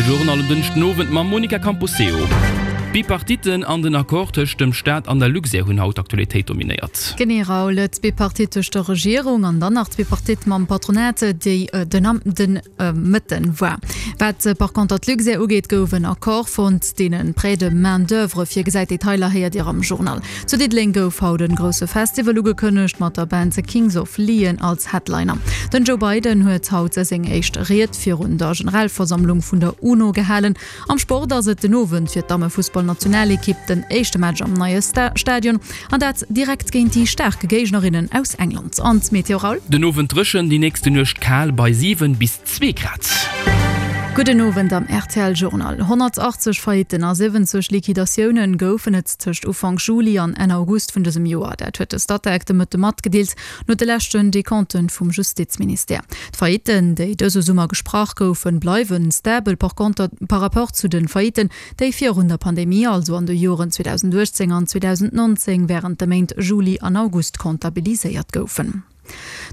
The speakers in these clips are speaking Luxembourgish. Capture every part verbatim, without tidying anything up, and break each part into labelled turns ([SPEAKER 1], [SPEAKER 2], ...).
[SPEAKER 1] De Journal um Dënschdenowend mam Monica Camposeo. D'Bipartitten an den Accord tëscht dem Staat an der Luxair hunn haut d'Aktualitéit dominéiert.
[SPEAKER 2] Genee Raoul, d'Bipartite tëscht der Regierung an dann nach d'Bipartite mam Patronat, déi den am den Mëtten war. Wat par conter d'Luxair ugeet, gouf en Accord fonnt, deen en Prêt de main d'oeuvre virgesäit. Detailer héiert Dir am Journal. Zu Diddeleng gouf haut en grousse Festival ugekënnegt, mat der Band The Kings of Leon als Headliner. Den Joe Biden huet haut seng éischt Ried virun der Generalversammlung vun der UNO gehalen. Am Sport ass et den Owend fir d'Dammefussballnationalekipp den éischte Match am neie Stadion, an dat direkt géint déi staark Géignerinnen aus England. An d'Meteo, Raoul?
[SPEAKER 1] Den Owend dréchen, déi nächste Nuecht kal bei siwen bis zwee Grad.
[SPEAKER 2] Gudden Owend am rtl Journal. honnertachtzeg Faillitten a siwwenzeg Liquidatiounen goufen et tëscht Ufank Juli an Enn August vun dësem Joer. Dat huet de Statec de Mëtte matgedeelt, no de leschten Decompten vum Justizministère. D'Faillitten, déi dëse Summer gesprach goufen, bleiwe stabel par conter par rapport zu de Faillitten, déi virun der Pandemie, also an de Joren zweedausendachtzéng an zweedausendnonzéng, wärend de Méint Juli an August comptabiliséiert goufen.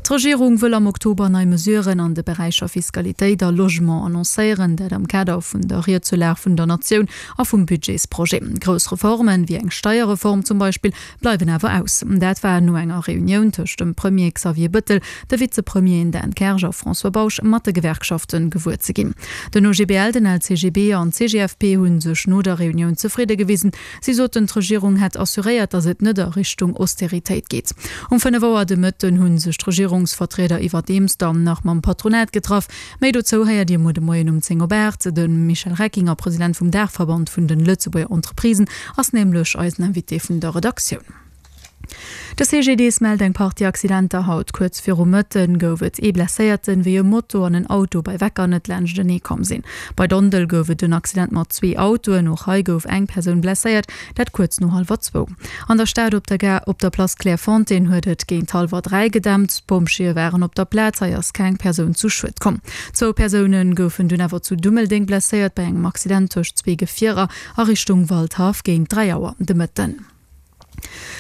[SPEAKER 2] D'Regierung wëll am Oktober nei Mesuren an de Beräicher Fiskalitéit a Logement annoncéieren, dat am Kader vun der Ried zur Lag vun der Natioun a vum Budgetsprojet. Grouss Reformen, wéi eng Steierreform zum Beispill, bleiwen awer aus. Dat war no enger Reunioun tëscht dem Premier Xavier Bëttel, de Vizepremieren Dan Kersch a François Bausch mat de Gewerkschaften gewuer ze ginn. Den O G B L, den L C G B an d'C G F P hu sech no der Reunioun zefridde gewisen. Si soten, d'Regierung hätt assuréiert, datt et net a Richtung Austeritéit geet. Um fënnef Auer de Mëtten hu sech d'Regierungsvertrieder iwwerdeems dann nach mam Patronat getraff. Méi dozou héiert Dir muer de Moien um zéng op aacht. De Michel Reckinger, President vum Daachverband vun de Lëtzebuerger Entreprisen, ass nämlech eisen Invité vun der Redaktioun. De C G D S mellt eng Partie Accidenter haut. Kuerz viru Mëtten gouf et ee Blesséierten, wéi e Moto an en Auto bei Veckernet laanschtenee komm sinn. Bei Dondel gouf et en Accident mat zwee Autoen, och hei gouf eng Persoun blesséiert, dat kuerz no hallwer zwou. An der Stad op der Gare op der Place Clairefontaine huet et géint hallwer dräi gedämpt. D'Pompjeeë waren op der Plaz, hei ass keng Persoun zu Schued komm. Zwou Persoune goufen dunn awer zu Dummeldeng blesséiert bei engem Accident tëscht zwee Gefierer a Richtung Waldhaff géint dräi Auer de Mëtten.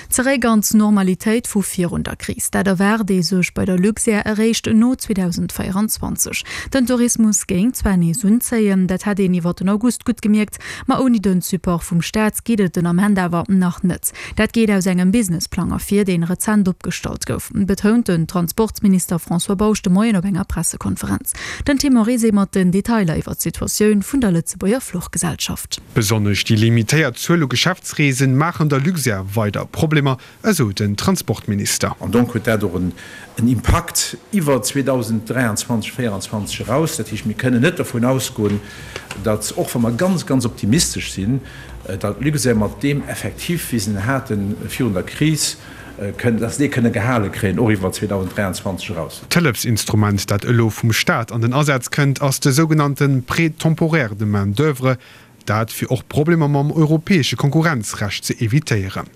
[SPEAKER 2] Zeréck an d'Normalitéit vu virun der Kris, dat erwaart ee sech bei der Luxair eréischt no zweedausendvéierenzwanzeg. Den Tourismus géing zwar nees unzéien, dat hätt een iwwer den August gutt gemierkt, ma ouni den Support vum Staat geet et den Ament awer nach net. Dat geet aus engem Businessplang ervir, deen rezent opgestallt gouf, betount den Transportminister François Bausch de Moien op enger Pressekonferenz. Den Tim Morizet mat den Detailer iwwer d'Situatioun vun der Lëtzebuerger Fluchgesellschaft.
[SPEAKER 3] Besonnesch déi limitéiert Zuel u Geschäftsreesen maachen der Luxair weider Problemer, esou den Transportminister.
[SPEAKER 4] An donc huet dat och en Impakt iwwer zweedausend dräianzwanzeg, véieranzwanzeg eraus. Dat heescht, mir kënnen net dovun ausgoen, datt, och wa mer ganz, ganz optimistesch sinn, datt d'Luxair mat deem Effectif, wéi se en hate virun der Kris, kënnen, datt se dee kënne gehale kréien, och iwwer zweedausend dräianzwanzeg eraus.
[SPEAKER 3] D'Hëllefsinstrument, dat elo vum Staat an den Asaz kënnt, ass de sougenannte Prêt temporaire de main d'oeuvre, dat fir och Problemer mam europäesche Konkurrenzrecht ze evitéieren.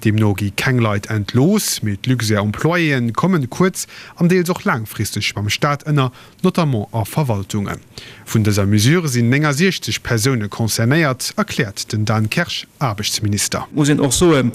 [SPEAKER 3] Deemno gi keng Leit entlooss, mee d'Luxair-Employéen kommen kuerz an deels och laangfristeg beim Staat ënner, notamment a Verwaltungen. Vun dëser Mesure sinn néngasiechzeg Persoune concernéiert, erkläert den Dan Kersch, Aarbechtsminister.
[SPEAKER 5] Muss een och soen,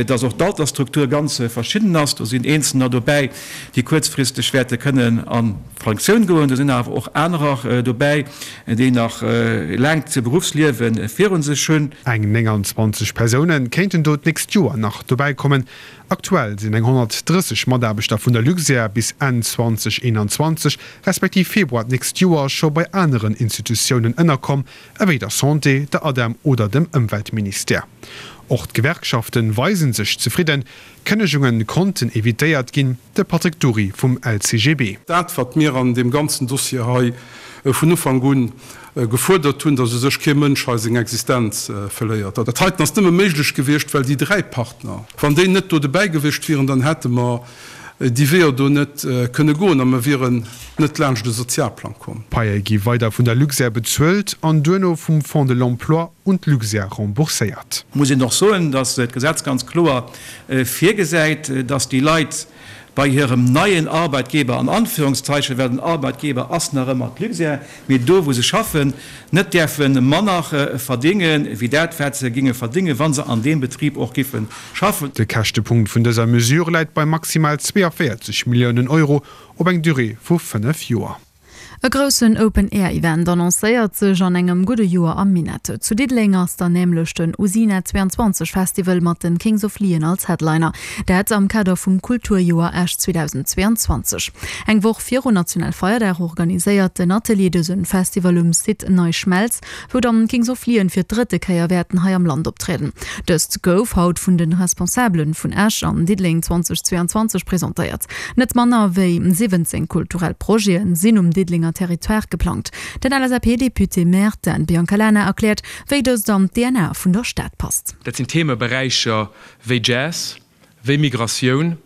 [SPEAKER 5] dass och d'Altersstruktur ganz verschidden ass. Do sinn Eenzelner dobäi, déi kuerzfristeg wäerte kënnen a Pensioun goen. Do sinn awer och anerer dobäi, déi nach e laangt Beruffsliewe viru sech hunn.
[SPEAKER 3] Eng nénganzwanzeg Persoune kéinten do d'nächst Joer nach dobäi kommen. Aktuell sinn eng honnertdrësseg Mataarbechter vun der Luxair bis Enn zweedausendeenanzwanzeg respektiv Februar d'nächst Joer scho bei aneren Institutiounen ënnerkomm, ewéi der Santé, der ADEM oder dem Ëmweltministère. Och d'Gewerkschafte weise sech zefridden, Kënnegunge konnten evitéiert ginn, de Patrick Dury vum L C G B.
[SPEAKER 6] Dat, wat mir an deem ganzen Dossier hei vun Ufank un gefuerdert hunn, datt u sech kee Mënsch hei seng Existenz verléiert. Dat heiten ass nëmme méiglech gewiescht, well déi dräi Partner, wann déi net do dobäi gewiescht wieren, dann hätte mer déi Weeër do net kënne goen a mer wieren net laanscht de Sozialplang komm.
[SPEAKER 3] D'Paie gi weider vun der Luxair bezuelt an duerno vum Fonds de l'emploi un d'Luxair rembourséiert.
[SPEAKER 5] Muss een och soen, datt d'Gesetz ganz kloer virgesäit, datt déi Leit bei hirem neien Arbeitgeber, an Anführungszeichen, well den Arbeitgeber ass nach ëmmer d'Luxair, mee do wou se schaffen, net däerfe manner verdéngen, wéi dat wat se géinge verdéngen, wa se an deem Betrib och géife schaffen.
[SPEAKER 3] De Käschtepunkt vun dëser Mesure läit bei maximal zweeënvéierzeg Milliounen Euro op eng Durée vu fënnef Joer.
[SPEAKER 2] E groussen Open-Air-Event annoncéiert sech an engem gudde Joer am Minett. Zu Diddeleng ass dann nämlech den Usina zweiundzwanzeg Festival mat den Kings of Leon als Headliner. Dat am Kader vum Kulturjoer Esch zweedausendzweeanzwanzeg. Eng Woch virun Nationalfeierdag organiséiert den Atelier dësen Festival um Site Nei Schmelz, wou dann d'Kings of Leon fir d'drëtte Kéier wäerten hei am Land optrieden. Dëst gouf haut vun den Responsabelen vun Esch an Diddeleng zweedausendzweianzwanzeg presentéiert. Net manner wéi siwwenzéng kulturell Projeten sinn um Diddelenger Territoire geplangt. Den L S A P-Député-Maire Dan Biancalana erkläert, wéi dëst an d'D N A vun der Stad passt.
[SPEAKER 7] Dat sinn Themeberäicher wéi Jazz, wéi Migratioun,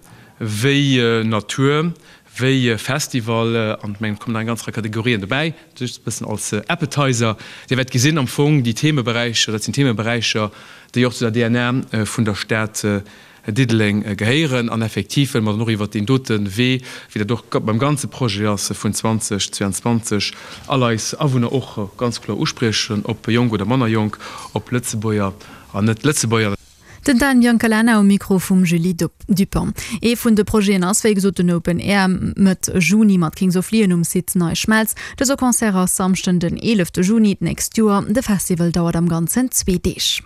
[SPEAKER 7] wéi Natur, wéi Festival an ech mengen, et kommen nach eng ganz Rei Kategorien dobäi, just e bëssen als Appetizer. Dir wäert gesinn, am Fong déi Themeberäicher, dat sinn Themeberäicher, déi och zu der D N A vun der Stad Diddeleng gehéieren. An effektiv wëlle mer dann och iwwert deen dote Wee, wéi dat och beim ganze Projet ass vun zweedausendzweianzwanzeg, all eis Awunner och ganz kloer uspriechen, ob jonk oder manner jonk, ob Lëtzebuerger an Net-Lëtzebuerger.
[SPEAKER 2] Den Dan Biancalana um Mikro vum Julie Dupont. Ee vun de Projeten ass wéi gesot den Open Air Mëtt Juni mat Kings of Leon um Site Nei Schmelz. Dëse Concert ass Samschden den eelefte Juni d'nächst Joer. De Festival dauert am Ganzen zwee Deeg.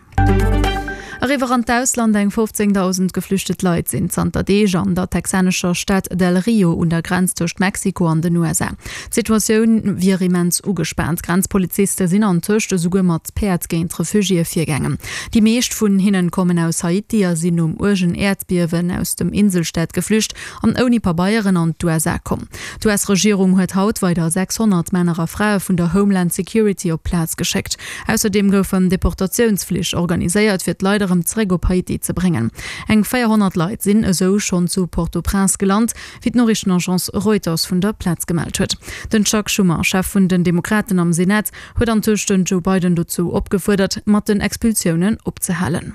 [SPEAKER 2] Eriwwer an d'Ausland, Eng fofzéngdausend geflüchtet Leit sinn zanter Deeg an der texanescher Stad Del Rio un der Grenz tëscht Mexiko an den U S A. D'Situatioun wier immens ugespaant. Grenzpoliziste sinn antëscht esouguer mat Päerd géint Refugiéë virgaangen. Déi meescht vun hinnen kommen aus Haiti a sinn nom uergen Äerdbiewen aus dem Inselstaat geflücht an ouni Pabeieren an d'U S A komm. D'U S-Regierung huet haut weider sechshonnert Männer a Frae vun der Homeland Security op d'Plaz geschéckt. Ausserdeem goufen Deportatiounsflich organiséiert, fir d'Leit erëm zeréck op Haiti ze bréngen. Eng véierhonnert Leit sinn esou schonn zu Port-au-Prince gelant, wéi d'Noriichtenagence Reuters vun der Plaz gemellt huet. Den Chuck Schumer, Chef vun den Demokraten am Senat, huet antëscht den Joe Biden dozou opgefuerdert, mat den Expulsiounen opzehalen.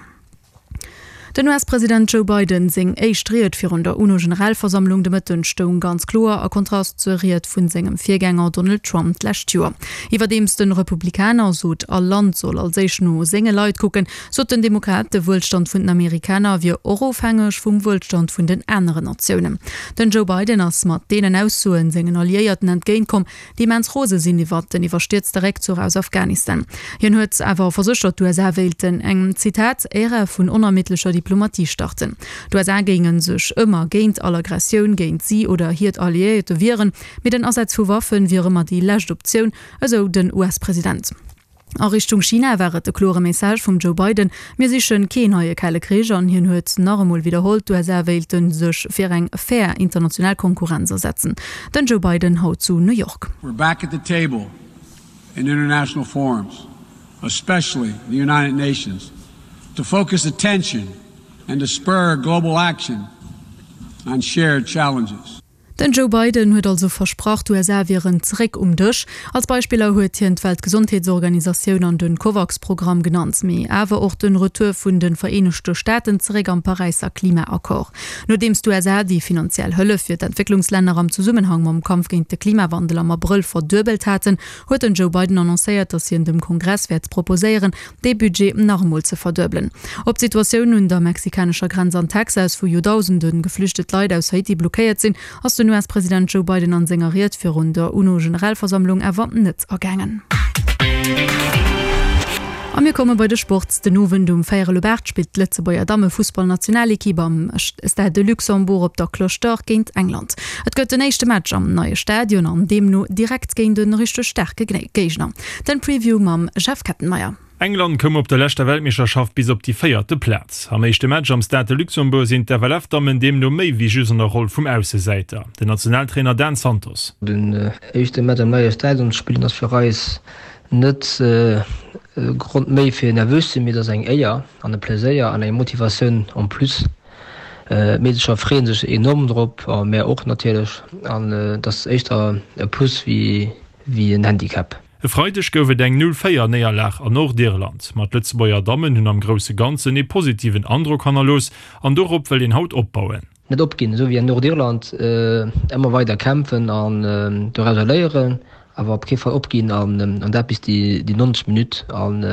[SPEAKER 2] Den U S-President Joe Biden seng éischt Ried virun der UNO-Generalversammlung de Mëtten stoung ganz kloer a Kontrast zur Ried vun sengem Virgänger Donald Trump d'lescht Joer. Iwwerdeems de Republikaner sot, all Land soll als éischt no senge Leit kucken, sot den Demokrat, de Wuelstand vun den Amerikaner wier och ofhängeg vum Wuelstand vun den aneren Natiounen. Den Joe Biden ass mat deenen Aussoen sengen Alliéierten entgéintkomm, déi immens rose sinn iwwert den iwwerstierzte Réckzuch aus Afghanistan. Hien huet awer verséchert, d'U S A wéilten eng, Zitat, Ära vun onermiddlecher Diplomatie starten. D'U S A géinge sech ëmmer géint all Aggressioun géint si oder hiert Alliéierte wieren, mee den Asaz vu Waffe wier ëmmer déi lescht Optioun, esou den U S-President. A Richtung China war et de klore Message vum Joe Biden, Mir siche keen neie Kale Krich an hien huet nach emol widderholl, d'U S A wéilte sech fir eng fair international Konkurrenz asetzen. Den Joe Biden haut zu New York.
[SPEAKER 8] We're back at the table in international forums, especially the United Nations, to focus attention and to spur global action on shared challenges.
[SPEAKER 2] Den Joe Biden huet also versprach, d'U S A wieren zeréck um Dësch. Als Beispiller huet hien d'Weltgesondheetsorganisatioun an den COVAX-Programm genannt, mee awer och den Retour vun de Vereenegte Staaten zeréck am Paräisser Klimaaccord. Nodeems d'U S A déi finanziell Hëllef fir d'Entwécklungslänner am Zesummenhang mam Kampf géint de Klimawandel am Abrëll verduebelt haten, huet den Joe Biden annoncéiert, datt hien dem Kongress wäert proposéieren, dee Budget nach emol ze verduebelen. Op d'Situatioun un der mexikanescher Grenz an Texas, wou joerdausende geflüchtet Leit aus Haiti blockéiert sinn, ass den U S-President Joe Biden an senger Ried virun der UNO-Generalversammlung awer net agaangen. A mir komme bei de Sport. Den Owend um véierel op aacht spillt d'Lëtzebuerger Dammefussballnationalekipp am Stade de Luxembourg op der Cloche d'Or géint England. Et gëtt den éischte Match am neie Stadion an deemno direkt géint e richteg staarke Géigner. Den Preview mam Jeff Kettenmeyer.
[SPEAKER 9] England koum op der leschter Weltmeeschterschaft bis op déi véierte Plaz. Am éischte Match am Stade de Luxembourg sinn d'F L F-Dammen deemno méi wéi just an der Roll vum Aussesäiter. Den Nationaltrainer Dan Santos.
[SPEAKER 10] Den éischte Match am neie Stadion spillen ass fir eis net e Grond méi fir nervös ze sinn, mee et ass eng Éier an e Pleséier an eng Motivatioun en plus. D'Meedercher freeën sech enorm drop a mär och natierlech an et ass éischter e Plus wéi en Handicap.
[SPEAKER 9] E Freideg gouf et eng null véier Néierlag an Nordirland, ma d'Lëtzebuerger Dammen hunn am grousse Ganzen ee positiven Androck hannerlooss an dorop wëll een haut opbauen.
[SPEAKER 10] Net opginn, esou wéi an Nordirland, ëmmer weider kämpfen an dorauser léieren, awer op kee Fall opginn an dat bis déi neunzeg Minutt an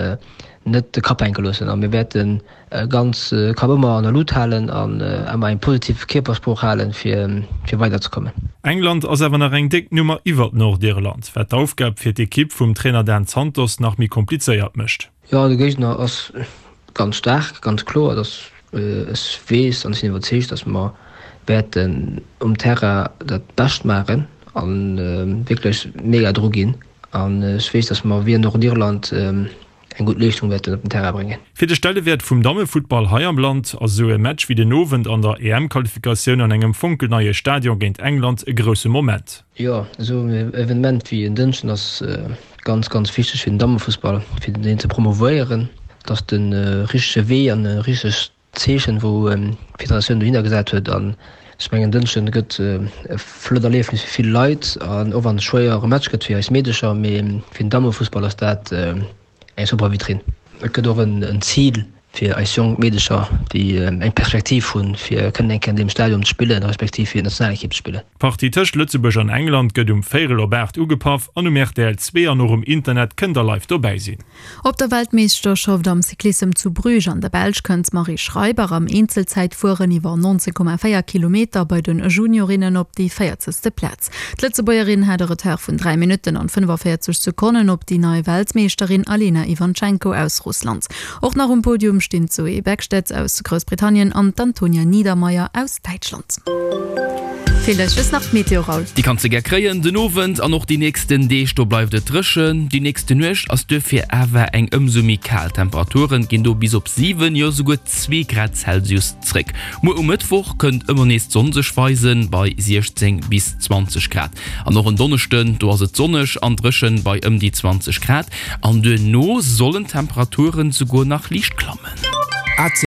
[SPEAKER 10] net de Kapp hänke loossen a mir wäerten ganz Kapp ëmmer an der Lut halen an ëmmer eng positiv Kierpersprooch halen, fir fir weiderzekommen.
[SPEAKER 9] England ass awer nach eng déck Nummer iwwert Nordirland, wat d'Aufgab fir d'Ekipp vum Trainer Dan Santos nach méi komplizéiert mécht.
[SPEAKER 10] Jo, de Géigner ass ganz staark, ganz kloer. Dass ech weess an ech sinn iwwerzeegt, dass mer wäerten um Terrain dat Bescht maachen a wierklech mega dru ginn. An ech weess, dass mer wéi an Nordirland eng gutt Leeschtung wäerten op den Terrain bréngen.
[SPEAKER 9] Fir de Stellewäert vum Dammefuttball hei am Land ass esou e Match wéi den Owend an der EM-Qualifikatioun an engem fonkelneie Stadion géint England e grousse Moment.
[SPEAKER 10] Jo, esou en Evenement wéi en Dënschden ass ganz, ganz wichteg fir den Dammefussball, fir deen ze promouvéieren. Et ass de richtege Wee an e richtegt Zeechen, wou d'Federatioun dohinner gesat huet. An ech mengen, en Dënschden gëtt e flott Erliefnis fir vill Leit. An och wann et e schwéiere Match gëtt fir eis Meedecher, mee fir den Dammefussball ass dat eng super Vitrinn. Et gëtt och en Zil fir eis jonk Meedecher, déi eng Perspektiv hunn, fir kënnen eng Kéier an deem Stadion ze spillen, respektiv fir d'Nationalekipp ze spillen.
[SPEAKER 9] D'Partie tëscht Lëtzebuerg an England gëtt um véierel op aacht ugepaff an um rtl zwee an och um Internet kënnt der live dobäi sinn.
[SPEAKER 2] Op der Weltmeeschterschaft am Cyclissem zu Bruges an der Belsch kënnt d'Marie Schreiber am Eenzelzäitfueren iwwer nonzéng Komma véier Kilometer bei den Juniorinnen op déi véierzegste Plaz. D'Lëtzebuergerin hat e Retard vun dräi Minutten an fënnefaféierzeg Sekonnen op déi nei Weltmeeschterin Alena Iwantschenko aus Russland. Och nach um Podium stinn d'Zoe Bäckstedt aus Groussbritannien an d'Antonia Niedermaier aus Däitschland. Feelt eis just nach d'Meteo, Raoul.
[SPEAKER 1] Déi kanns de gär kréien den Owend an och déi nächsten Deeg, do bleift et dréchen. Déi nächste Nuecht ass duerfir awer eng ëmsou méi kal. D'Temperaturen ginn do bis op siwen, jo souguer zwee Grad Celsius zréck. Muer um Mëttwoch kënnt ëmmer nees d'Sonn sech weisen, bei siechzéng bis zwanzeg Grad. An och en Donneschden, do ass et sonneg an dréchen bei ëm déi zwanzeg Grad. An duerno sollen d'Temperaturen souguer nach liicht klammen.